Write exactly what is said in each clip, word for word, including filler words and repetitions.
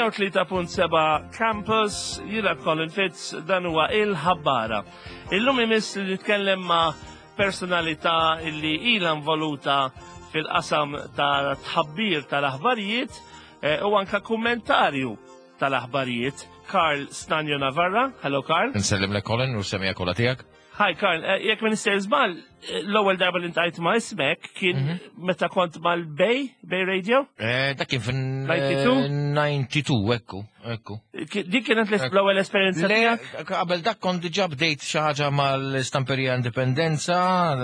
mija u tlieta punt seba' Campus, jiena Colin Fitz, dan huwa il-Ħabbara. Illum imiss li nitkellem ma' personalità illi ila involuta fil-qasam ta' tħabbir tal-aħbarijiet eh, u anka kummentarju tal-aħbarijiet, Karl Stanjo Navarra. Hello, Karl. Nsellim lilek, Colin, u semmiegħa kollha tiegħek. Hi Karl, eh, jekk ma nistax żball, eh, l-ewwel darba li ltqajt ma' ismek kien mhm. meta kont mal-Bay, Bay Radio? Eh, dak kien fin disgħa u disgħin? disgħa u disgħin, ekku, ekku. Dik kienet l-ewwel esperjenza tiegħek? Qabel dak kont diġà bdejt xi ħaġa mal-Stamperija Indipendenza,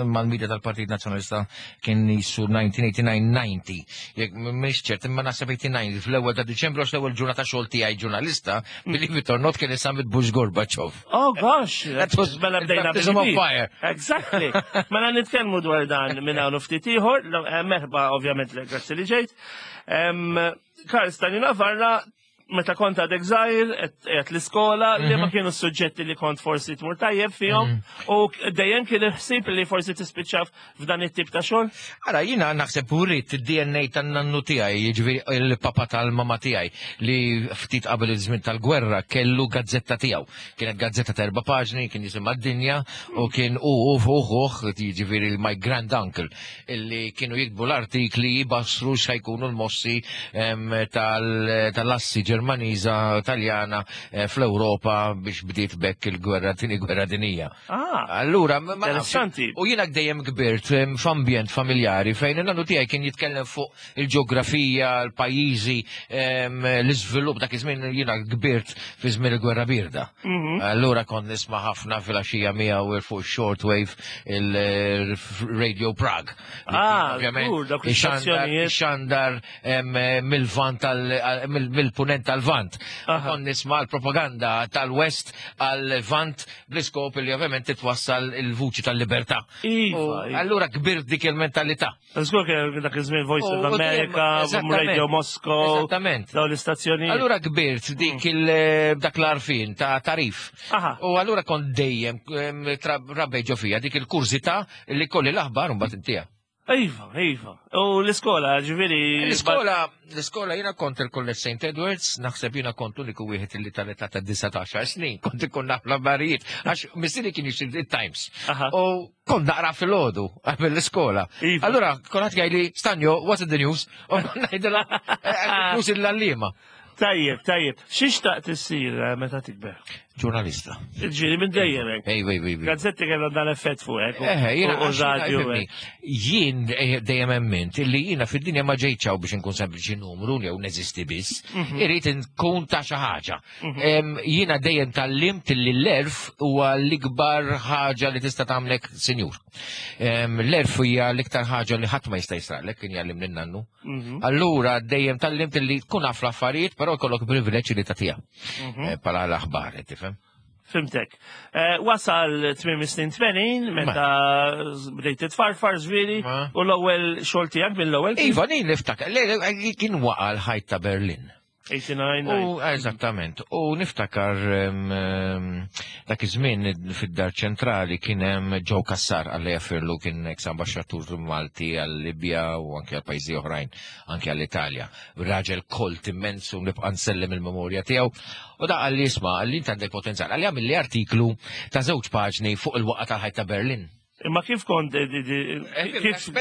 mal-media tal-Partit Nazzjonalista, kien jisu elf disa' mija u disgħa u disgħin disgħa u disgħin. Jekk mhix ċert, imma naħseb disgħa u disgħin fl-ewwel ta' Diċembru, għax l-ewwel ġurnata xogħol tiegħi ġurnalista, believe it or not, kien is-summit Bush Gorbachev. Oh gosh, mela bdejna baptism of fire. Exactly. Mela nitkellmu dwar dan minn hawn ftit ieħor, eh, merħba ovvjament, grazzi li ġejt. Karl Stani Navarra, meta kont għadek żgħir, qed l-iskola, li ma mhm. kienu s-suġġetti li kont forsi tmur tajjeb fihom mhm. u dejjem kien il-ħsieb li forsi tispiċċa f'dan it-tip ta' xogħol? Ara, jiena naħseb uritt id-D N A tan-nannu tiegħi, jiġifieri il-papa tal-mama tiegħi, li ftit qabel iż-żmien tal-gwerra kellu gazzetta tiegħu. Kienet gazzetta ta' erba' paġni, kien jisimha D-Dinja, u kien u u fuq, jiġifieri my grand uncle, illi kienu jiktbu l-artikli jibassru x'ħa jkunu l-mossi tal-assi Ġermaniża, Taljana eh, fl-Ewropa biex bdiet bekk il-gwerra, tieni gwerra dinija. Ah, allura, interessanti. U jiena dejjem kbirt f'ambjent familjari fejn il-nannu tiegħi kien jitkellem fuq il-ġeografija, l-pajjiżi, l-iżvilupp. Dak iż-żmien jiena kbirt fi żmien il-gwerra birda. Mhm. Allura kont nisma' ħafna fil-għaxija miegħu fuq shortwave il-Radio Prague. Ah, xandar mill-vant, mill-punent tal-vant. Kont nisma' l-propaganda tal-West għal-vant bl-iskop li ovvjament titwassal il-vuċi tal-libertà. Iva, iva. Allura kbirt dik il-mentalità. Żgur kien dak iż-żmien Voice of America, Radio Moscow. Esattament. Dawn l-istazzjoni. Allura kbirt dik il dak l-għarfien ta' tarif. U allura kont dejjem rabbej ġo fija dik il-kurżità li kolli l-aħbar un mbagħad intija. Iva, iva. U l-iskola, ġifieri. L-iskola, l-iskola jiena kont il-College Saint Edwards, naħseb jiena kont uniku wieħed li tal-età ta' disatax snin, kont ikun naf l-affarijiet, għax missieri kien jixtri il-Times. U kont naqra fil-ħodu, qabel l-iskola. Iva. Allura, kont jgħidli, "Stanjo, what's in the news?" U ngħidilha, "News il-għalliema." Tajjeb, tajjeb. X'ixtaqt issir eh, meta tikber? Ġurnalista. Ġifieri minn dejjem hekk. Ej, ej, ej. Gazzetti kellhom dan effett fuqek. Eh, jiena u radio. Jien eh, dejjem emmint illi jiena fid-dinja ma ġejtx biex inkun sempliċi numru jew neżisti biss. Mhm. Irrid nkun ta' xi ħaġa. Jiena dejjem tgħallimt illi l-għerf huwa l-ikbar ħaġa li tista' tagħmlek sinjur. L-għerf hija l-iktar ħaġa li ħadd ma jista' jisraqlek, kien jgħallimni n-nannu. Mhm. Allura dejjem tgħallimt li tkun naf l-affarijiet, però jkollok privileġġ li tagħtiha. Mhm. Eh, Pala l-aħbar, tifhem? Fhimtek. Eh, wasal tmiem snin tmenin, meta bdejt titfarfar ġifieri, u l-ewwel xogħol tiegħek mill-ewwel? Iva, jien niftakar, le, kien waqa l-ħajt ta' Berlin. tmena u disgħin. U eżattament, u niftakar em, em, dak iż-żmien fid-dar ċentrali kien hemm Joe Cassar, Alla jaħfirlu, kien ex ambaxxatur Malti għal-Libja u anke għal pajjiżi oħrajn, anke għall-Italja. Raġel kolt immens u nibqa' nsellem il-memorja tiegħu. U da qalli, "Isma'," qalli, "int għandek potenzjal." Qalli, "għamilli artiklu ta' żewġ paġni fuq il-waqgħa tal-ħajt ta' Berlin." Imma kif kont, eh, di- di- kif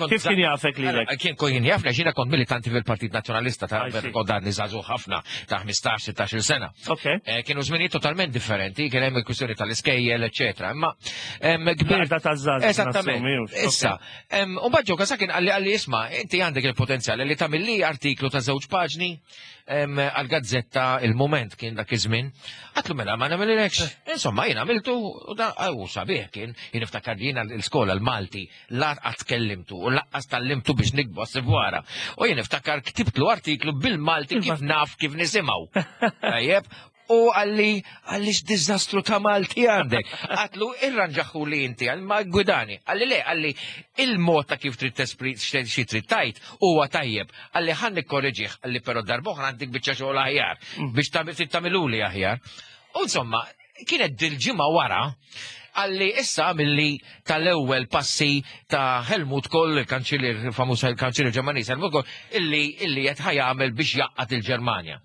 kif kien jafek lilek? Kien kien jafna, jiena kont militanti fil-Partit Nazzjonalista ta' I see. kont għadni żagħżugħ ħafna, ta' ħmistax sittax-il sena. Ok. Eh, Kienu żminijiet totalment differenti, kien hemm il-kwistjoni tal-iskejjel, eċetera. Imma em, kbir. L-għaqda taż-żgħażagħ. Esattament. Nassumi, hux, Issa, em, u Joe Cassar kien qalli qalli "Isma', inti għandek il-potenzjal li tagħmilli artiklu ta' żewġ paġni em, għal-gazzetta Il-Moment kien dak iż-żmien." Għedtlu, "Mela ma nagħmilekx." Insomma, jien għamiltu u da u sabiħ kien, jien niftakar li jiena l-iskola l-Malti la qatt kellimtu u lanqas tgħallimtu biex niktbu wara. U jien niftakar ktibtlu artiklu bil-Malti kif naf kif nisimgħu. Tajjeb, u qalli qalli "X'diżastru ta' Malti għandek." Għedtlu, "Irranġahu li inti," għal ma gwidani. Qalli, "Le," qalli, "il-mod ta' kif trid tespri xi trid tgħid huwa tajjeb." Qalli, "Ħa nikkorreġih," qalli, "però darb'oħra għandek biċċa xogħol aħjar biex tagħmiluli aħjar." U insomma, kienet dil-ġimgħa wara Qalli issa milli tal-ewwel passi ta' Helmut Kohl, il-kanċillier famuż, il-kanċillier Ġermaniż Helmut Kohl, illi illi qed ħa jagħmel biex jgħaqqad il-Ġermanja.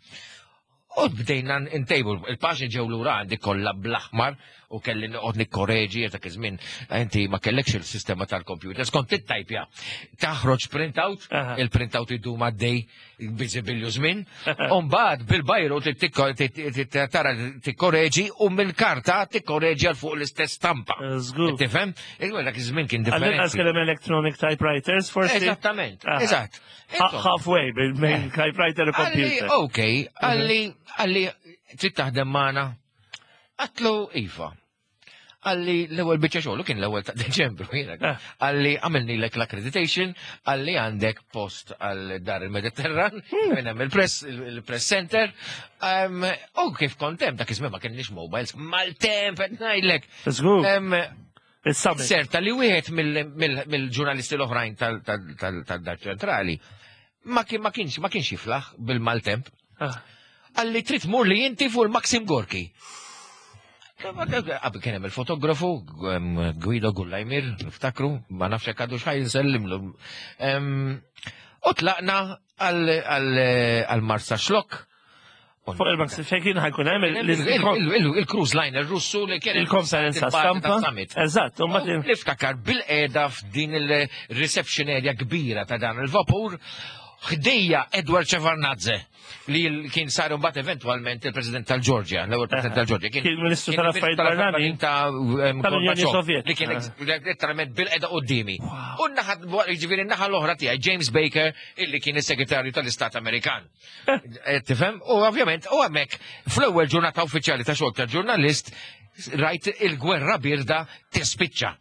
U bdejna ntejbu, il-paġni ġew lura għandi kollha bl-aħmar u kelli noqgħod nikkoreġi. Dak iż-żmien inti ma kellekx il-sistema tal-computer, kont tittajpja. Taħroġ printout, Aha. il-printout idum għaddej biżibilju żmien, u mbagħad bil-bajru tara tikkoreġi u mill-karta tikkoreġi għal fuq l-istess stampa. Żgur. Tifhem? Dak iż-żmien kien Għall-inqas differenti. kellem electronic typewriters, forsi. Eżattament, Aha. eżatt. Ha- Insomma, Halfway bil typewriter u Qalli, computer. ok, qalli, qalli, trid taħdem magħna? Għedtlu iva. Qalli l-ewwel biċċa xogħol, kien l-ewwel ta' Deċembru, jiena. Ah. Qalli għamilnilek l-accreditation, qalli għandek post għal dar il-Mediterran, minn hemm il-press, il-press center. Um, U kif kont hemm, dak iż-żmien ma kienx mobiles, maltemp qed ngħidlek. Żgur. Em, Il-summit. Serta li wieħed mill- mill- mill-ġurnalisti l-oħrajn tal-dar ċentrali ma kien- ma kienx ma kienx jiflaħ bil-maltemp. Ah. Qalli trid tmur li inti fuq il-Maxim Gorki. Qabel kien hemm il-fotografu em, Guido Gullajmir, niftakru, ma nafx hekk għadu x'ħaj nsellimlu. Em, U tlaqna għal Marsaxlokk. Fuq il-Maxim fejn kien ħa jkun hemm il- Il- il- il- Il-cruise liner Russu li kien il-konferenza stampa. Summit. Eżatt, u mbagħad Niftakar bil-qeda f'din il-reception area kbira ta' dan il-vapur, ħdejja Edward Shevardnadze, li l- kien sar mbagħad eventwalment il-President tal-Ġorġja, l-ewwel President tal-Ġorġja. Kien Ministru tal-Affarijiet Barranin ta' em, tal-Unjoni Gorbachev, Sovjetika. li kien ex- letteralment bil-qeda qudiemi. U naħa, jiġifieri n-naħa l-oħra tiegħi James Baker, illi kien is-Segretarju tal-Istat Amerikan. Eh, Tifhem? U ovvjament, u hemmhekk fl-ewwel ġurnata uffiċjali ta' xogħol ta' ġurnalist rajt il-gwerra birda tispiċċa.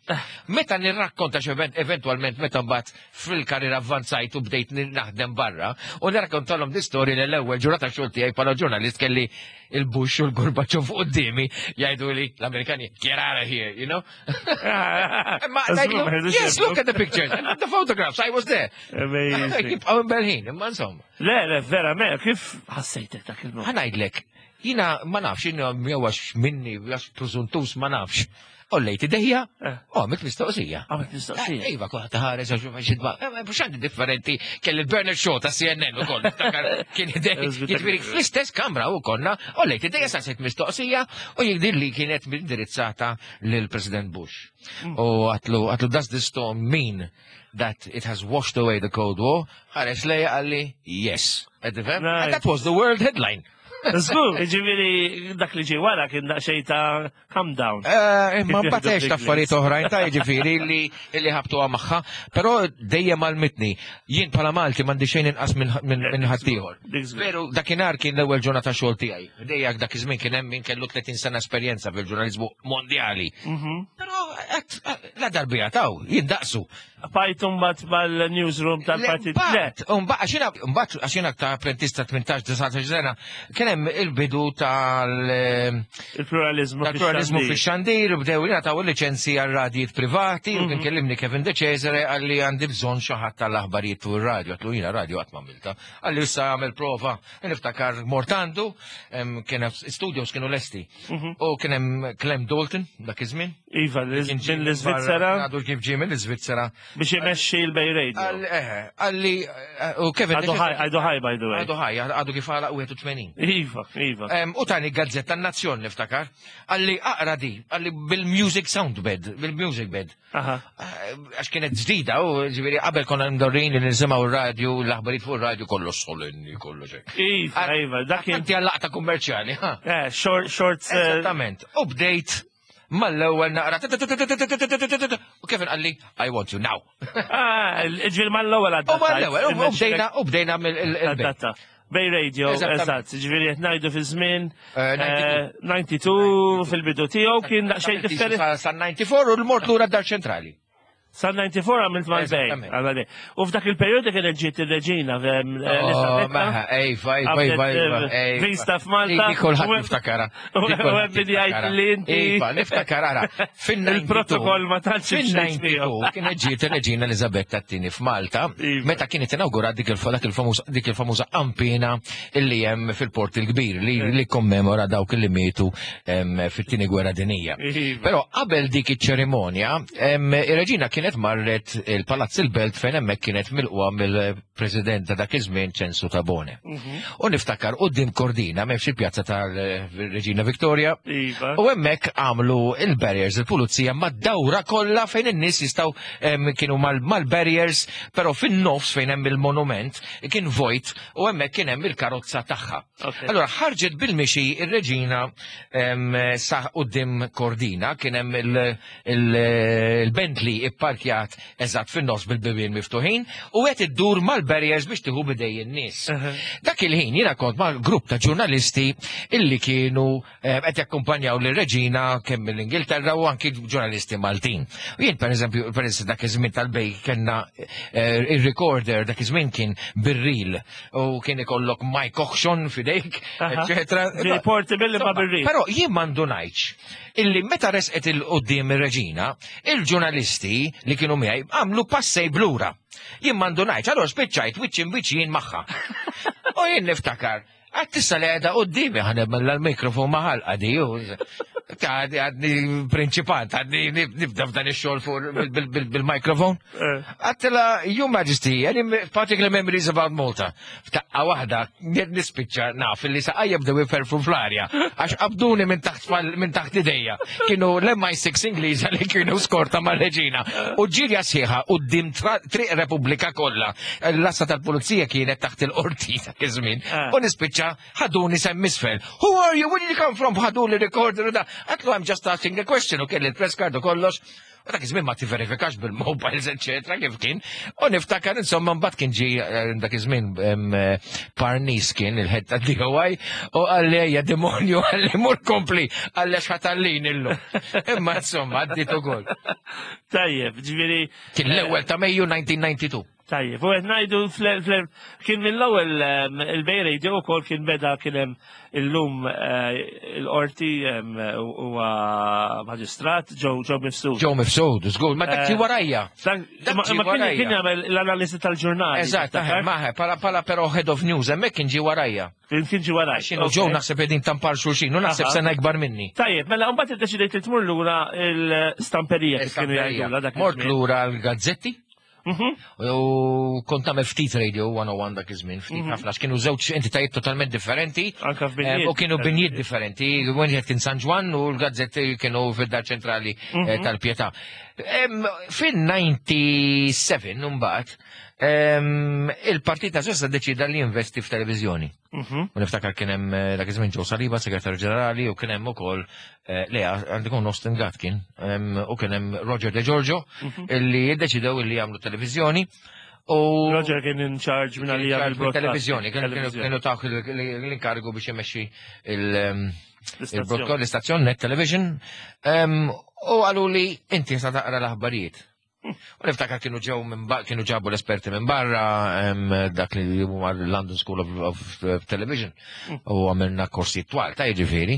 Meta nirrakkonta xi eventwalment meta mbagħad fil-karriera avvanzajt u bdejt naħdem barra u nirrakkontalhom di storja li l-ewwel ġurnata xogħol tiegħi bħala ġurnalist kelli il-Bush u l-Gorbachev fuq quddiemi jgħidu li l-Amerikani, "Get out of here," you know? Ma ngħidlu, "Yes, look at the pictures, the photographs, I was there." Amazing. Jibqgħu imbelħin, imma insomma. Le, le, vera, me, kif ħassejtek dak il-moment? Ħa ngħidlek, jiena ma nafx, jiena jew għax minni, għax preżuntus, ma nafx. Għollejt idejja, Eh. u għamilt mistoqsija. Għamilt mistoqsija. Eh, Iva, kwa taħares, għax xidba. Mux għandi differenti, kelli il-Bernard Shaw ta' C N N u koll, niftakar kien idej. Jiġifieri fl-istess kamra u konna, għollejt idejja, saqsejt mistoqsija, u jidhirli li kienet indirizzata lill-President Bush. U għedtlu, għedtlu, "Does this storm mean that it has washed away the Cold War?" Ħares lejja, qalli, "Yes." Qed tifhem? Nice. And that was the world headline. Żgur, ġifieri dak li ġie wara kien daqsxejn ta' calm down. Eh, Imma Kif mbagħad jieħdu ta' affarijiet oħrajn ta' jiġifieri li li ħabtuha magħha, però dejjem għallmitni. Jien bħala Malti m'għandi xejn inqas minn minn minn ħaddieħor. Dik żgur. Veru, dakinhar kien l-ewwel ġurnata xogħol tiegħi. Dejjak dak iż-żmien kien hemm min kellu tletin sena esperjenza fil-ġurnaliżmu mondjali. Mhm. Però qed la darbija taw, jindaqsu. Bajtu mbagħad mal-newsroom tal-partit. Le, Mbagħad, mbagħad għax mbagħad għax jiena ta' apprentista tmintax disatax sena, kien hemm il-bidu tal il-pluralizmu. Tal-pluralizmu fix-xandir. fix-xandir, bdew jingħataw il-liċenzji għal radijiet privati, u kien kellimni Kevin De Cesare, qalli għandi bżonn xi ħadd tal-aħbarijiet fuq ir-radio. Għedtlu jiena radio qatt m'għamilta. Qalli issa għamel prova, niftakar mort għandu, em, kien hemm studios kienu lesti. U kien hemm Clem Dalton dak iż-żmien. Iva, Kien ġie minn minn barra, l-Iżvizzera għadu kif ġie mill-Iżvizzera. Biex imexxi l-Bay Radio. Qalli, eh, qalli, eh, u Kevin De Għadu ħaj, Cesare- għadu ħaj, by the way. Għadu ħaj, għadu kif għalaq wieħed u tmenin. Iva, iva. Em, U tani gazzetta Nazzjon niftakar, qalli aqra di, qalli bil-music sound bed, bil-music bed. Aha. Eh, Għax kienet ġdida, u ġifieri qabel konna mdorrin li nisimgħu r-radio, l-aħbarijiet fuq ir-radio kollox solenni, kollox hekk. Iva, iva, dak kien. Inti għal-laqta kummerċjali, ha? Eh, short, short. eh, Eżattament. U bdejt mal-ewwel naqra. U Kevin qalli, "I want you now." Ah, ġifieri mal-ewwel U mal-ewwel, u bdejna, u bdejna mill-bejt. Adatta. Bay Radio, Eżattament. eżatt, ġifieri qed ngħidu fi żmien Eh, eh, disgħa u disgħin fil-bidu tiegħu kien daqsxejn differenti. Sa disgħa u disgħin u l-mort lura d-dar ċentrali. Sa disgħa u disgħin għamilt mal-Bay. Eżattament. Għal-Bay. U f'dak il-periodu kienet ġiet il-reġina Oh, Elisabetta. maħa, Ejfa, ejfa, ejfa, ejfa, ejfa. Vista f'Malta. Dik kulħadd U- niftakara. u- Dik u kulħadd hemm jgħid niftakara. li inti- Iva, niftakar, ara. Fin-disgħa u disgħin Il-protokoll ma tantx imxejt Fin-disgħa u disgħin miegħu. kienet ġiet ir-reġina Elizabetta t-tieni f'Malta, Iva. meta kienet inawgurat dik il- dak il-famuż dik il-famuża ampina illi hemm fil-Port il-Kbir li li kommemora dawk li mietu em, fit-tieni gwerra dinija. Iva. Però qabel dik iċ-ċerimonja, em, ir-reġina kienet marret il-Palazz il-Belt fejn hemmhekk kienet milqwa mill-President ta' dak iż-żmien Ċensu Tabone. Mhm. U niftakar quddiem Kordina m'hemmx il-pjazza tal-Reġina Victoria. Iva. U hemmhekk għamlu il-barriers, il-pulizija mad-dawra kollha fejn in-nies jistgħu em, kienu mal- mal-barriers, però fin-nofs fejn hemm il-monument kien vojt u hemmhekk kien hemm il-karozza tagħha. Ok. Allora ħarġet bil-mixi ir-reġina em, sa quddiem Kordina, kien hemm il- il- il-Bentley ipparkjat eżatt fin-nofs bil-bibien miftuħin u qed iddur mal-barriers biex tieħu bidej in-nies. Dak il-ħin jiena kont ma' grupp ta' ġurnalisti illi kienu eh, qed jakkumpanjaw lir-reġina kemm mill-Ingilterra u anki ġurnalisti Maltin. U jien per eżempju, per eżempju dak iż-żmien tal-Bay kellna eh, il-recorder dak iż-żmien kien bir-reel u kien ikollok mic auction fidejk, Aha. eccetera. Ġi portable imma bir-reel. Però jien m'għandunajtx illi meta resqet il-qoddim ir-reġina, il-ġurnalisti li kienu miegħi għamlu passej blura. Jien m'għandunajtx, allora spiċċajt wiċċ imbiċ jien magħha. U jien niftakar, għad tista li għedha qoddimi ħa nagħmel l-mikrofon maħal di, għadni għadni prinċipant, għadni nibda f'dan ix-xogħol fuq bil-mikrofon. Eh. Għedtilha, Your Majesty, any particular memories about Malta? F'daqqa waħda, nispiċċa naf li saqajja bdew iferfru fl-arja, għax qabduni minn taħt minn taħt idejja. Kienu l-M I six Ingliża li kienu skorta mar-reġina. U ġirja sħiħa quddiem Triq Repubblika kollha. L-għassa tal-pulizija kienet taħt il-qorti ta' iż-żmien. Ah. U nispiċċa ħaduni s'hemm isfel. Who are you? Where did you come from? Ħaduni recorder u da. Għedtlu, "I'm just asking a question," u kelli il-press card u kollox. U dak iż-żmien ma tiverifikax bil-mobiles, eccetera, kif kien. U niftakar, insomma, mbagħad kien ġi eh, dak iż-żmien em, eh, Parnis kien il-head ta' D O I u qalli, "Ejja demonju," qalli, "mur kompli," qalli, "ħa tgħallini illum." Imma insomma, għaddit ukoll. Tajjeb, ġifieri. Kien l-ewwel ta' Mejju elf disa' mija u disgħa u disgħin. Tajjeb, u qed ngħidu fl- fl- kien mill-ewwel em, il-Bay Radio wkoll kien beda kien hemm illum eh, il-qorti em, huwa maġistrat Joe Joe Mifsud. Joe Mifsud, żgur, ma dak Eh, ġi warajja. Dak- dak Ma ġie ma kien warajja. kien jagħmel l-analiżi tal-ġurnali. Eżatt, tiftakar? maħe, pala pala però head of news, hemmhekk kien ġi warajja. Kien kien ġie warajja. Xinu Joe naħseb qegħdin tampar xulxin, u naħseb Aha. sena ikbar minni. Tajjeb, mela mbagħad iddeċidejt li tmur lura l-stamperija kif kienu jgħidulha dak Mort iż-żmien. lura l-gazzetti, Mhm. u kont nagħmel ftit Radio one oh one dak iż-żmien, ftit ħafna, għax kienu żewġ entitajiet totalment differenti. Anka f'binjiet. Eh, U kienu binjiet differenti. Wieħed kien San Ġwann u l-gazzetti kienu fid-dar ċentrali eh, tal-Pietà. Em, Fin-disgħa u disgħin mbagħad em, il-Partit Nazzjonalista deċida li jinvesti f'televizjoni. Mhm. U niftakar kien hemm eh, dak iż-żmien Joe Saliba, segretarju ġenerali, u kien hemm ukoll eh, Lea, għandu jkun Austin Gatt kien, em, u kien hemm Roger De Giorgio, illi jiddeċidew illi jagħmlu televizjoni. U Roger kien in charge minn għalija bil-broadcast. Televizjoni, kienu kienu tawh l-inkarigu biex imexxi il- em, il-broadcast, l-istazzjon Net Television, em, u qallu li inti sa taqra l-aħbarijiet. U niftakar kienu ġew minn ba- kienu ġabu l-esperti minn barra em, dak li huma London School of, of, of Television u għamilna korsi twal ta' jiġifieri.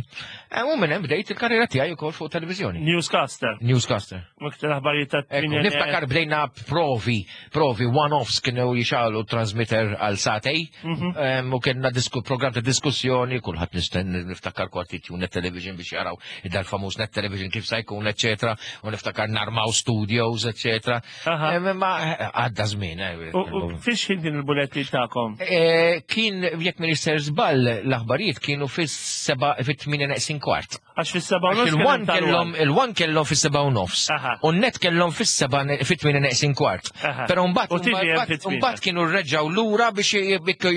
Em, U minn hemm bdejt il-karriera tiegħi wkoll fuq televiżjoni. Newscaster. Newscaster. Miktar aħbarijiet ta' Ekku, tminja- niftakar bdejna provi, provi one-offs kienu jixgħelu transmitter għal sagħtejn, em, u kienna disku, program ta' diskussjoni, kulħadd nisten niftakar kwartit Net Television biex jaraw id-dar famuż Net Television kif sa jkun, eccetera, u niftakar narmaw studios, eccetera. Aha. Em, Ma għadda żmien. eh, U u fiex ħin kien il-buletti tagħkom? Eh, Kien, jekk minister żball, l-aħbarijiet kienu fis-seba, fit-tmienja neqsin kwart. Għax fis-seba' u nofs Il-one kien hemm kellhom tal-one. Il-one kellhom fis-seba' u nofs. Aha. U net kellhom fis-seba' fit-tmienja neqsin kwart. Aha. Però mbagħad U T V M mbagħad- fit-tmienja. mbagħad kienu rreġgħu lura biex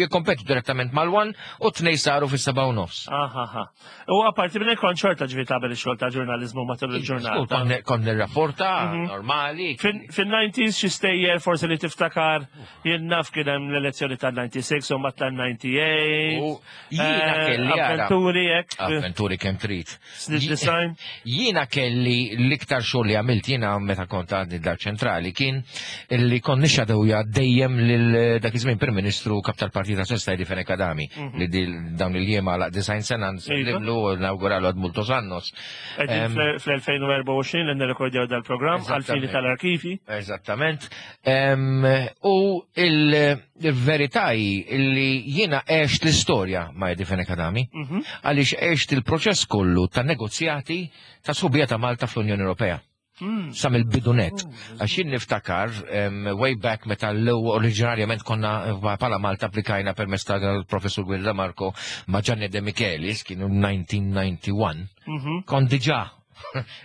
jikkompetu direttament mal-one u tnej saru fis-seba' u nofs. Aha, aha. U apparti minn hekk kont xorta ġifieri tagħmel ix-xogħol ta' ġurnaliżmu matul il-ġurnata. Kont kont nirrapporta normali. Fin Fin-nineties xi stejjer forsi li tiftakar, jien naf kien hemm l-elezzjoni tal-disgħa u sitta u mbagħad tal-disgħa u tmienja. U jiena Eh, kelli ara. Avventuri hekk. Avventuri kemm trid. Snin design. Jiena kelli l-iktar xogħol li għamilt jiena meta kont għadni dar ċentrali kien li kont nixxadowja dejjem lil dak iż-żmien Prim Ministru, kap tal-Partit Nazzjonalista, Eddie Fenech Adami, li dil- dawn il-jiem għalaq disgħin sena, nsellimlu u nawguralu ad multos annos. Qegħdin Em, fl-elfejn u erbgħa u għoxrin li nirrekordjaw dal-programm għal-fini Eżattament. tal-arkivi. Eżattament. Em, U il- il-verità hi li jiena għext l-istorja ma' Eddie Fenech Adami, Mhm. għaliex għext il-proċess kollu ta' negozjati ta' sħubija ta' Malta fl-Unjoni Ewropea. Mm. Sa mill-bidu nett. Għax jien niftakar, em, way back meta l-ewwel oriġinarjament konna eh, bħala Malta applikajna permezz tal-professur Guido Marco ma' Gianni De Michelis, kienu elf disa' mija u wieħed u disgħin, Mhm. kont diġà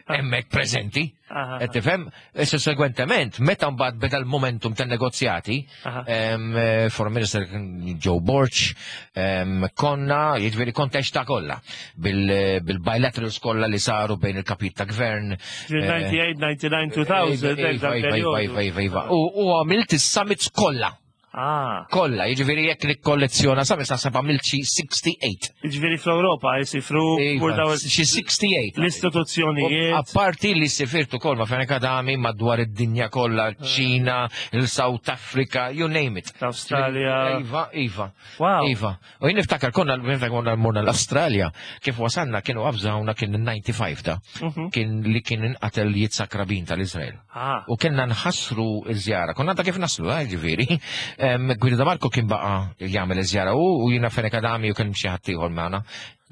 hemmhekk preżenti. Aha. Qed tifhem? Issa segwentement, meta mbagħad beda l-momentum tan-negozjati, Aha. em, eh, Foreign Minister kien Joe Borg, em, konna, jiġifieri kont ta' kollha bil- bil-bilaterals kollha li saru bejn il-kapit ta' gvern. Ġifieri disgħa u tmenin, disgħa u disgħin, elfejn, Iva, dak iva, periodu. iva, iva, iva. U u għamilt is-summits kollha. Ah, Kollha, jiġifieri jekk nikkollezzjona summits naħseb għamilt xi sitta u sittin. Ġifieri fl-Ewropa jisifru Iva, daw xi sitta u sittin. l-istituzzjonijiet. Apparti li sifirtu kol ma' Fenech Adami madwar id-dinja kollha, ċina, il-South Africa, you name it. L-Awstralja. Iva, Iva. Wow. Iva. U jien niftakar konna niftakar konna morna l-Awstralja, kif wasalna kienu avżawna, kien il-disgħa u disgħin ta' Mhm. kien li kien inqatel Yitzhak Rabin tal-Izrael. Ah, U kellna nħassru iż-żjara. Konna ta' kif naslu, eh, ġifieri. Em, Guido Marco kien baqa jagħmel iż-żjara u u jiena, Fenech Adami, u kien xi ħadd ieħor magħna.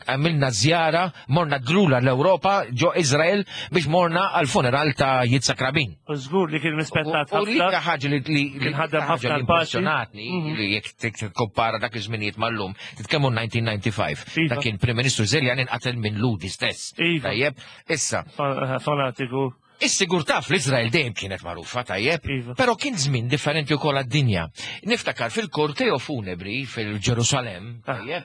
Għamilna żjara, morna drula l-Ewropa ġo Izrael biex morna għal-funeral ta' Yitzhak Rabin. U żgur li kien rispettat U li ħafna. ħaġa li li li Kien ħadem ħaġa ħafna li l-paċi. impressjonatni Mhm. li jekk tikkompara dak iż-żminijiet mal-lum, titkellmu elf disa' mija u disgħa u disgħin. Iva. Dak kien Prim Ministru Iżraeljan inqatel minn Lhudi stess. Iva. Tajjeb, issa, Fa- Fanatiku. is-sigurtà fl-Izrael dejjem kienet magħrufa, tajjeb, Iva. però kien żmien differenti wkoll għad-dinja. Niftakar fil-korteo funebri fil-Ġerusalem, Ah. tajjeb,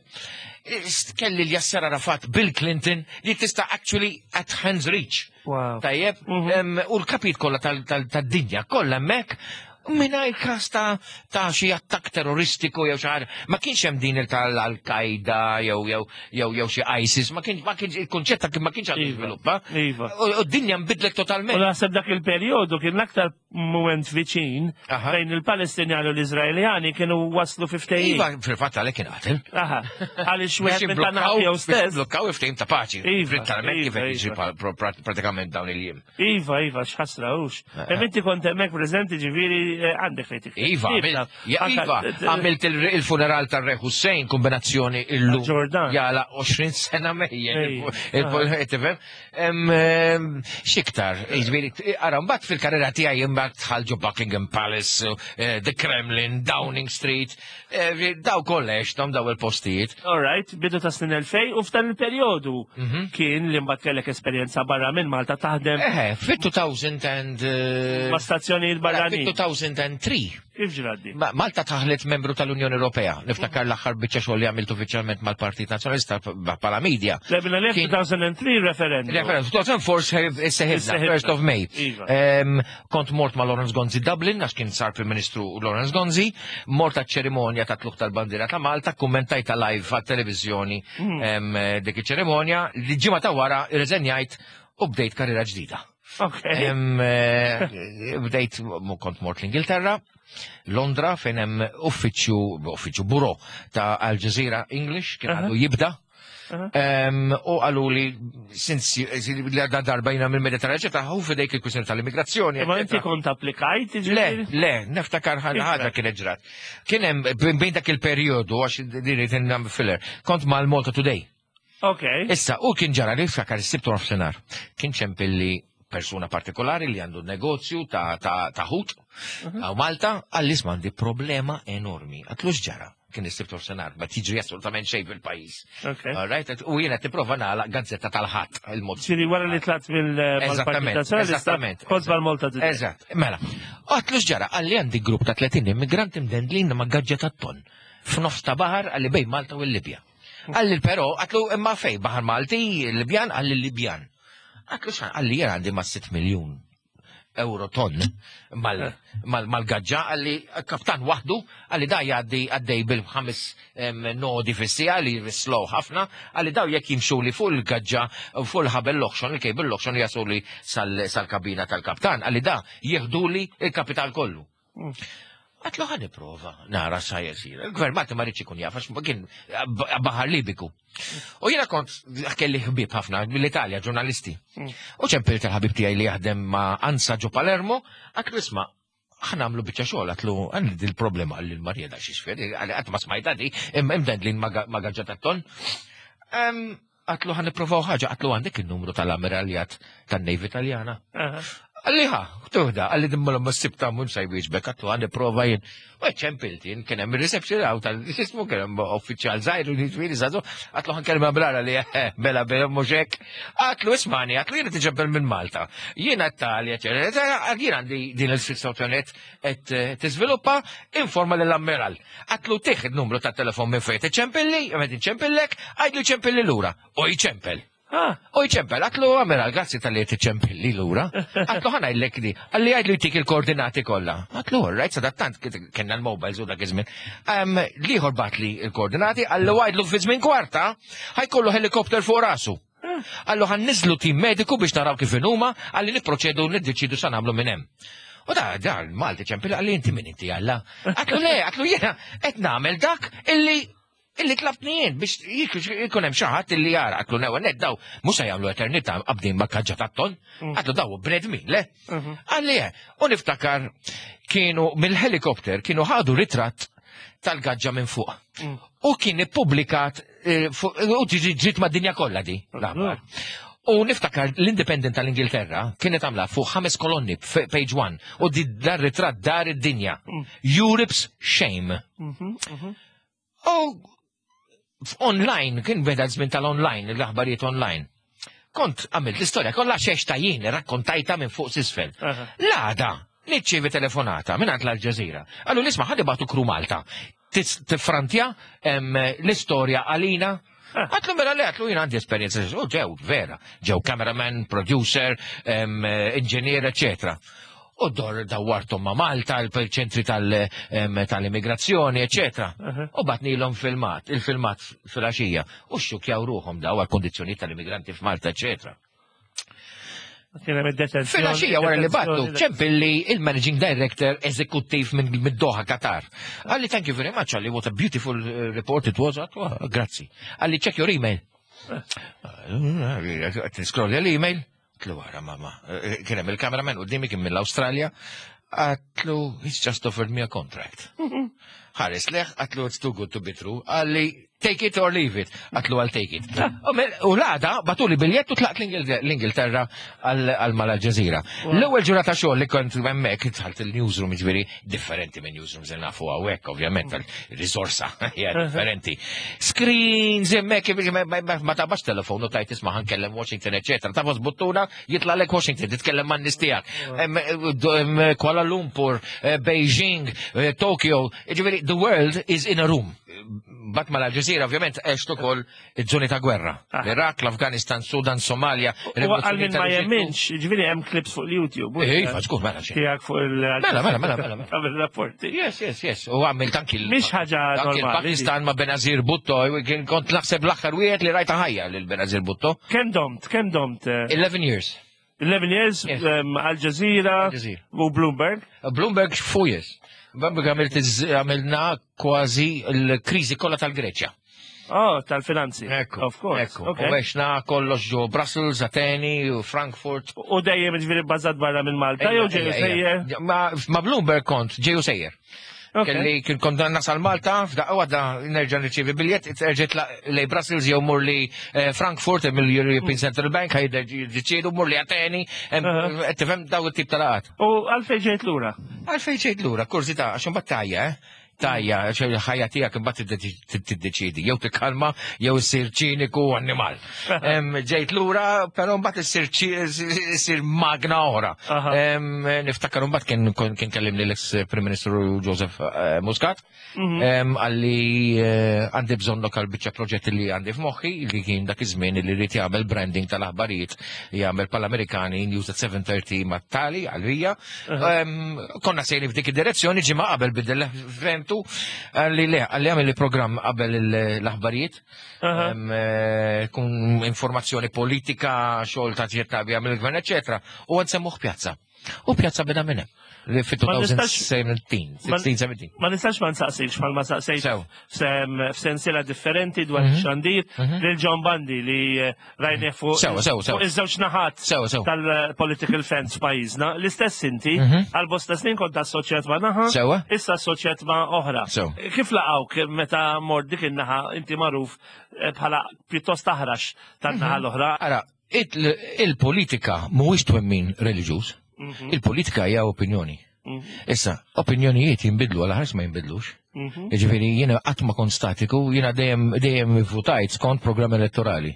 ist- kelli l-Yasser Arafat, Bill Clinton, li tista' actually at hands reach. Wow. Tajjeb, Mhm. em, u l-kapit kollha tal- tal- tad-dinja kollha hemmhekk mingħajr każ ta' ta' xi attakk terroristiku jew xi ħaġa. Ma kienx hemm din il tal-Al-Qaeda jew jew jew jew xi ISIS, ma kienx ma kienx il-kunċett ta' ma kienx għadu Iva. żviluppa. Iva. U u d-dinja nbidlet U totalment. naħseb dak il-perjodu kien l-aktar moment viċin Aha. bejn il-Palestinjani u l-Izraeljani kienu waslu fi ftehim. Iva, fil-fatt għalhekk kien qatel. Aha, għaliex Biex wieħed minn tan jimblokkaw jew biex stess. jimblokkaw ftehim ta' paċi. Iva, Literalment kif iva, qed jiġri iva. pa- pro- pra- pratikament dawn il-jiem. Iva, Iva, x'ħasra hux. Eh, Hemm inti kont hemmhekk preżenti, ġifieri eh, għandek fejn tikteb. Iva, għamilt- ja, Iva, għamilt il- il-funeral tal-Re Hussein, kombinazzjoni illum. Ġordan. Jala għoxrin sena mejjen. Ej, Il- Tifhem? Em, em, X'iktar, jiġifieri, ara, mbagħad fil-karriera tiegħi imbagħad dħalt ġo Buckingham Palace, eh, The Kremlin, Downing Street, eh, daw kollha għexthom daw il-postijiet. All right, bidu ta' snin elfejn u f'dan il-perjodu Mhm. kien li mbagħad kellek esperjenza barra minn Malta taħdem Eħe, fit-two thousand and... eh, ma' stazzjonijiet barranin. fit-two thousand and three. Kif ġraddi? Ma- Malta daħlet membru tal-Unjoni Ewropea. Niftakar l-aħħar biċċa xogħol li għamilt uffiċjalment mal-Partit Nazzjonalista bħala media. Lebna le Kien- two thousand and three referendum. Referendum, two thousand four seħibna, Isseħibna. first of May. Iva. Em, Kont mort ma' Lawrence Gonzi Dublin, għax kien sar Prim Ministru Lawrence Gonzi, mort għat ċerimonja ta' tlugħ tal-bandiera ta' Malta, kummentajta live għat-televizjoni Mm. em, dik iċ-ċerimonja, li ġimgħa ta' wara irreżenjajt u bdejt karriera ġdida. Ok. Em, eh, Bdejt, mu kont mort l-Ingilterra, Londra, fejn hemm uffiċċju, uffiċċju buro ta' Al Jazeera English, kien Aha. għadu jibda. Aha. Em, U għalu li, since li għadda darba jina mill-Mediterran, ta' hu fidejk il-kwistjoni tal-immigrazzjoni. Ma inti eccetera. kont applikajt, Le, ġifieri? le, niftakar ħaġa ħaġa kienet ġrat. Kien hemm bejn dak il-perjodu, għax din it filler, kont mal-Malta Today. Ok. Issa, u kien ġara li niftakar is-Sibt nofsinhar. Kien ċempilli persuna partikolari li għandu negozju ta' ta' ta' ħut għaw Malta, għalli għandi problema enormi. Għedtlu x'ġara? Kien is-Sibt nofsinhar, ma tiġri assolutament xejn fil-pajjiż. Ok. All right, u jiena tipprova nagħlaq gazzetta tal-Ħadd il-mod. Ġifieri wara li tlaqt mill-Partit Eżattament, Nazzjonalista, eżattament. kont mal-Malta Today. Eżatt, mela. Għedtlu x'ġara? Għalli għandi grupp ta' tletin immigranti mdendlin ma' gaġġa ta' ton. F'nofs ta' baħar, għalli bejn Malta u l-Libja. Għalli però, għedtlu imma fej, baħar Malti, Libjan, għalli Libjan. Għedtlu x'għan, għalli jena għandi ma' sitt miljun euro ton mal-gaġġa, qalli kaptan waħdu, qalli da jgħaddi għaddej bil-ħames nodi fis-siegħa li slow ħafna, qalli daw jekk jimxu li fuq il-gaġġa, fuq il-ħabel l-oħxon, il-cable l-oħxon jaslu li sal-kabina tal-kaptan, qalli da jieħdu li il-kapital kollu. Għedtlu ħa nipprova, nara sa jsir. Il-gvern Malti ma riedx ikun jaf, għax kien baħar Libiku. U jiena kont kelli ħbib ħafna mill-Italja, ġurnalisti. U ċempilt il-ħabib tiegħi li jaħdem ma' Ansa ġo Palermo, għedtlu isma', ħa nagħmlu biċċa xogħol, għedtlu għandi il-problema għalli l-Marija da xi xfier, għalli qatt ma smajta di, imdendlin ma' gaġġa tat-ton. Għedtlu ħa nipprovaw ħaġa, għedtlu għandek il-numru tal-ammiraljat tan-Navy Italjana. Qalli ħa, tuħda, qalli dimma l s-sibta mun sa jwieġbek, għedtlu ħa nipprova jien. U ċempilt jien, kien hemm il-reception għaw tal-ismu, kien hemm uffiċjal żgħir, ġifieri żagħżugħ, għedtlu ħa nkellem brara li bela bela mhux hekk. Għedtlu ismagħni, għedtlu jiena tiġebbel minn Malta. Jiena Italja, jien għandi din il-situazzjoni qed tiżviluppa, informa lill-ammiral. Għedtlu tih il-numru tat-telefon minn fejn tiċempilli, qed inċempillek, għidlu ċempilli lura. U jċempel. U jċempel, għedtlu ammiral, grazzi talli tiċempilli lura. Għedtlu ħa ngħidlek di, qalli għidlu jtik il-koordinati kollha. Għedtlu, right, sadattant, kellna l-mobiles u dak iż-żmien. L-ieħor bagħatli il-koordinati, qallu għidlu fi żmien kwarta, ħa jkollu helikopter fuq rasu. Qallu ħa nniżżlu tim mediku biex naraw kif huma, qalli nipproċedu niddeċidu sa nagħmlu minn hemm. U da, da, Malti ċempil, qalli inti min inti għalla. Għedtlu le, għedtlu jiena, qed nagħmel dak illi illi tlabtni jien biex jkun hemm xi ħadd illi jara għedtlu newa net daw mhux se jagħmlu eternità qabdin ma' kaġġa tat-ton. Għedtlu daw bnedmin, le? Qalli u niftakar kienu mill-helikopter kienu ħadu ritratt tal-gaġġa minn fuq. U kien ippubblikat u ġiet mad-dinja kollha di. L-aħbar. U niftakar l-Independent tal-Ingilterra kienet għamla fuq ħames kolonni page one u di dar ritratt dar id-dinja. Europe's Shame. U online, kien beda żmien tal-online, l-aħbarijiet online. Kont għamilt l-istorja kollha xex ta' jien rakkontajta minn fuq s'isfel. L-għada, nirċievi telefonata minn għand l-Al-Jazeera. Qallu isma' ħa nibagħtu crew Malta. Tifrantja l-istorja għalina. Għedtlu mela le, għedtlu jien għandi esperienza, u ġew, vera, ġew cameraman, producer, engineer, eccetera. U dor dawwartom ma' Malta, il-ċentri tal-immigrazzjoni, eccetera. U bgħatnielhom filmat, il-filmat fil-għaxija. U xxukkjaw ruħhom daw għal-kondizzjoni tal-immigranti f'Malta, eccetera. Fil-għaxija wara li bagħtu, ċempilli il-managing director eżekuttiv minn Doha, Qatar. Qalli, thank you very much, qalli, what a beautiful report it was. Grazzi. Qalli, check your email. Niscrollja l-email. Għedtlu wara, mama. Kien hemm il-cameraman u kien mill-Australia. Għedtlu, he's just offered me a contract. Ħares lejh, għedtlu, it's too good to be true. Qalli, take it or leave it. Għedtlu I'll take it. U l-għada, bagħtuli biljett u tlaqt l-Ingilterra għal mal-Al-Jazeera. L-ewwel ġurnata xogħol li kont hemmhekk, dħalt il-newsroom, ġifieri differenti minn newsroom se nafu hawnhekk, ovvjament, il-risorsa hija differenti. Screens hemmhekk, ma tabax telefon u tajt isma' ħa nkellem Washington, eċetera. Tagħfas buttuna, jitlagħlek Washington, titkellem man-nies tiegħek. Kuala Lumpur, Beijing, Tokyo, ġifieri the world is in a room. Bat mal-Al-Jazeera, ovvjament, għext ukoll iż-żoni ta' gwerra. L-Iraq, l-Afganistan, Sudan, Somalia. U għal min ma jemminx, ġifieri hemm clips fuq l-YouTube. Ej, faċkur, mela xejn. Tiegħek fuq il- Mela, mela, mela, mela. Għamil rapporti. Yes, yes, yes. U għamilt anki il- Mhix ħaġa anki normali. il-Pakistan ma' Benazir Bhutto, kien kont naħseb l-aħħar wieħed li rajta ħajja lil Benazir Bhutto. Kemm domt, kemm domt? eh, eleven years. eleven years, Yes. um, Al Jazeera Al Jazeera. u Bloomberg. Bloomberg four years. Bloomberg għamilt iż- għamilna kważi l-kriżi kollha tal-Greċja. Oh, tal-finanzi. Ekku, Of course. ekku. Okay. U għexna kollox ġo Brussels, Ateni, u Frankfurt. U dejjem ġifieri bbażat barra minn Malta, jew ġeju sejjer? Ma, ma Bloomberg kont ġeju sejjer. Ok. Kelli kien kont nasal Malta, f'daqqa waħda nerġa' nirċievi biljett, erġa' lej Brussels jew mur li eh, Frankfurt mill-European Central Bank ħajdeċiedu mur li Ateni, em, Aha. tifhem daw it-tip ta' laqat. U għalfejn ġejt lura? Għalfejn ġejt lura, kurżità, għax imbagħad tajja, eh? Tajja, ħajja tiegħek imbagħad tiddeċidi, jew tikkalma jew issir ċiniku annimal. Ġejt lura, però mbagħad issir issir magna oħra. Niftakar mbagħad kien kien kellimni l-ex Prim Ministru Joseph eh, Muscat, mhm. qalli eh, għandi bżonn lokal biċċa proġett li għandi f'moħħi, li kien dak iż-żmien li rrid jagħmel branding tal-aħbarijiet, jagħmel pal-Amerikani News at seven thirty mat-tali għalija. Konna sejrin f'dik id-direzzjoni, ġimgħa qabel bidel fehmtu, qalli le, qalli għamel li programm qabel l-aħbarijiet, eh, kun informazzjoni politika, xogħol ta' ġirtabja mill-gvern, eċetera. U għad semmuh Pjazza. U Pjazza beda minn hemm. Li fi elfejn u sittax, sittax, sbatax. Ma nistax ma nsaqsikx bħal ma saqsejt f'sensiela differenti dwar mhm. xandir mhm. lil John Bundy li eh, rajne fuq fuq iż-żewġ naħat tal-political fence f'pajjiżna. L-istess inti mhm. għal bosta snin kont assoċjat ma' naħa, issa assoċjat ma' oħra. Kif laqawk meta mort dik in-naħa, inti magħruf eh, bħala pjuttost aħrax tan-naħa l-oħra? Ara, il-politika mhuwiex twemmin reliġjuż. Mhm. Il-politika hija opinjoni. Mhm. Issa, opinjonijiet jinbidlu għal ħars ma jinbidlux. Mhm. Jiġifieri jiena qatt ma kont statiku, jiena dejjem dejjem votajt skont programm elettorali.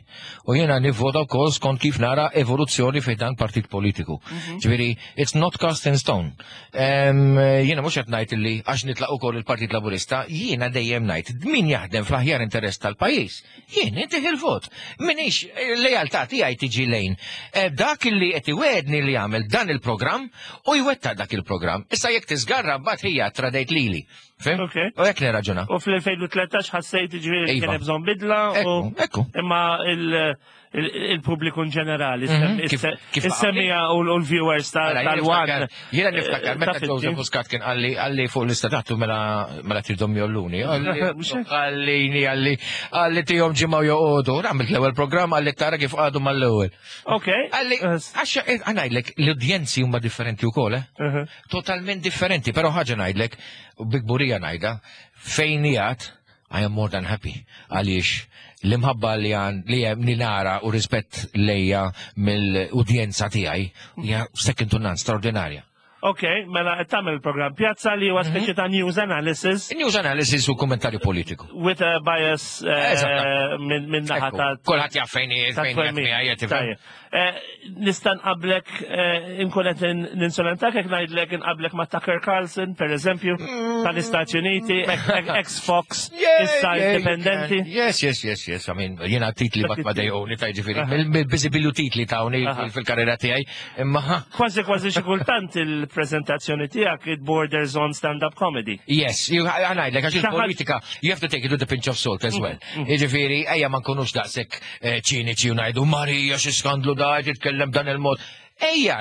U jiena nivvota wkoll skont kif nara evoluzzjoni fejn dan partit politiku. Ġifieri, it's not cast in stone. Jiena mhux qed ngħid li għax nitlaq ukoll il-Partit Laburista, jiena dejjem ngħid min jaħdem fl-aħjar interess tal-pajjiż. Jien intih il-vot. Minix lejaltà tiegħi tiġi lejn eh, dak li qed iwedni li jagħmel dan il-programm u jwettaq dak il-programm. Issa jekk tiżgarra mbagħad hija tradejt lili. Fhimt? U hekk nirraġuna. U fl-elfejn u tlettax ħassejt ġifieri kien Iva. hemm bżonn bidla u Ekku, ekku. imma il- il- il-pubbliku in ġenerali, Mhm. Kif- kif is-semmiegħa u l-viewers Mela, jiena tal-One. niftakar- Jiena niftakar meta taf Joseph inti. Muscat kien qalli qalli fuq l-istatatu mela mela tridhom jolluni. Mhux hekk? Għallini qalli qalli tihom ġimgħa joqogħdu. Għamilt l-ewwel programm, qalli tara kif għadu mal-ewwel. Ok. Qalli għax ngħidlek l-udjenzi huma differenti wkoll, eh? Uh-huh. Totalment differenti, però ħaġa ngħidlek, u bi kburija ngħidha, fejn jgħat, I am more than happy. Għaliex l-imħabba li għan li hemm li nara u rispett lejja mill-udjenza tiegħi hija second to none, straordinarja. Ok, mela qed tagħmel il-programm Pjazza li huwa Mhm. speċi ta' news analysis News analysis u kommentarju politiku. with a bias eh, Eżatt. minn min naħa Ekku, ta' kulħadd jaf fejn ta' fejn twemmin. jgħid tifhem. Tajjeb. Eh, Nista' nqablek, eh, inkun qed ninsolentak jekk ngħidlek inqablek ma' Tucker Carlson, per eżempju, tal-Istati Uniti, ex-Fox, issa indipendenti. Yes, yes, yes, yes. I mean, jiena titli bat ma dejquni ta' ġifieri. Mill-biżibilju titli ta' Aha. fil-karriera tiegħi. Imma Kważi kważi xi kultant il-preżentazzjoni tiegħek it borders on stand-up comedy. Yes, you- ngħidlek, għax Xi ħaġa- il-politika, you have to take it with a pinch of salt as well. Jiġifieri, ejja ma nkunux daqshekk eh, ċiniċi u ngħidu Marija xi skandlu da jitkellem dan il-mod. Ejja,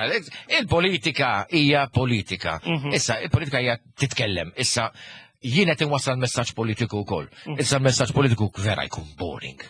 il-politika hija politika. Issa, il-politika hija titkellem. Issa, jien qed inwassal messaġġ politiku wkoll. Issa l-messaġġ politiku vera jkun boring.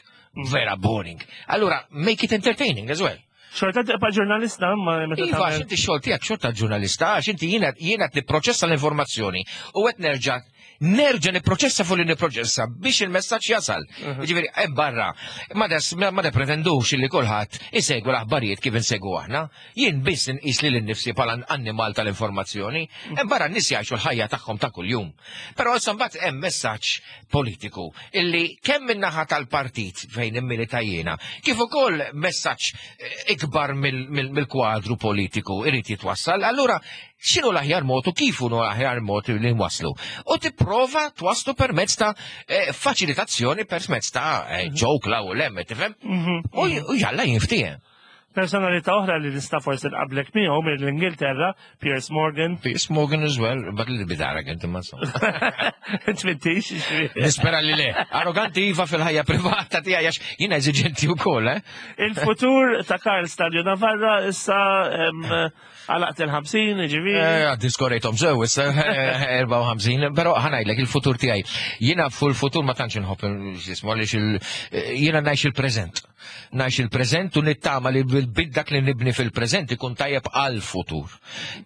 Vera boring. Allura, make it entertaining as well. Xorta tibqa' ġurnalista ma meta Iva, għax tagħmel- inti xogħol tiegħek xorta ġurnalista, għax inti jiena jiena qed nipproċessa l-informazzjoni u qed nerġa' nerġa' nipproċessa fuq li nipproċessa biex il-messaġġ jasal. Jiġifieri hemm barra ma des ma ma pretendux li kulħadd isegwu l-aħbarijiet kif insegwu aħna. Jien biss inqis lil innifsi bħala annimal tal-informazzjoni, hemm barra n-nies jgħixu l-ħajja tagħhom ta' kuljum. Però issa mbagħad hemm messaġġ politiku illi kemm min-naħa tal-partit fejn immilita jiena, kif ukoll messaġġ eh, ikbar mill- mill- mill-kwadru politiku irid jitwassal, allura x'inhu l-aħjar mod u kif hu l-aħjar mod li nwasslu? U tipprova twasslu permezz ta' eh, faċilitazzjoni, permezz ta' eh, joke 'l hawn u 'l hemm, tifhem? U u jalla jinftiehem. Personalità oħra li nista' forsi nqablek miegħu mill-Ingilterra, Piers Morgan. Piers Morgan as well, but a little bit arrogant imma insomma. Tmittix, Nispera li le. Arroganti iva fil-ħajja privata tiegħi għax jiena eżiġenti wkoll, eh? Il-futur ta' Karl Stalju Navarra issa em, għalaqt il-ħamsin, ġifieri. Eh, Għaddi skorejtom sew, issa erbgħa u ħamsin, però ħa ngħidlek il-futur tiegħi. Jiena fuq il-futur ma tantx inħobb x'ismu għaliex il- jiena ngħix il-preżent. Ngħix il-preżent u nittama li bil dak li nibni fil-preżent ikun tajjeb għal-futur.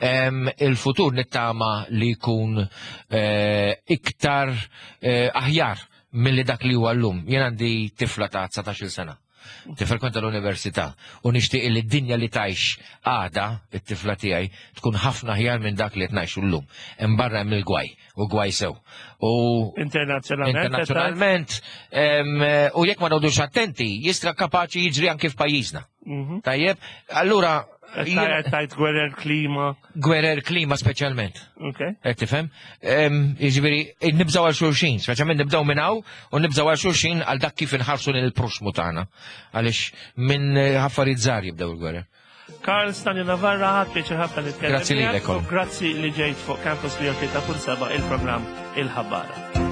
Em, Il-futur nittama li jkun eh, iktar eh, aħjar milli dak li huwa llum. Jien għandi tifla ta' dsatax-il sena. Tifrekwenta l-università u nixtieq li d-dinja li tgħix għada it-tifla tiegħi tkun ħafna aħjar minn dak li qed ngħixu llum. Hemm barra hemm il-gwaj u gwaj sew. U Internazzjonalment. internazzjonalment em, u jekk ma noqogħdux attenti, jista' kapaċi jiġri anke f'pajjiżna. Mhm. Tajjeb, allura jiena- Tajt tajt gwerer klima. gwerer klima speċjalment. Ok. Qed tifhem? Em, Jiġifieri nibżgħu għal xulxin, speċjalment nibżgħu minn hawn u nibżgħu għal xulxin għal dak kif inħarsu lil proxmu tagħna. Għaliex minn eh, affarijiet żgħar jibdew il-gwerer. Karl Stagno Navarra, ħadt pjaċir ħafna nitkellem. Grazzi lilek, miegħek u Colin. Grazzi li ġejt fuq Campus mija u tlieta punt seba' il-programm Il-Ħabbara.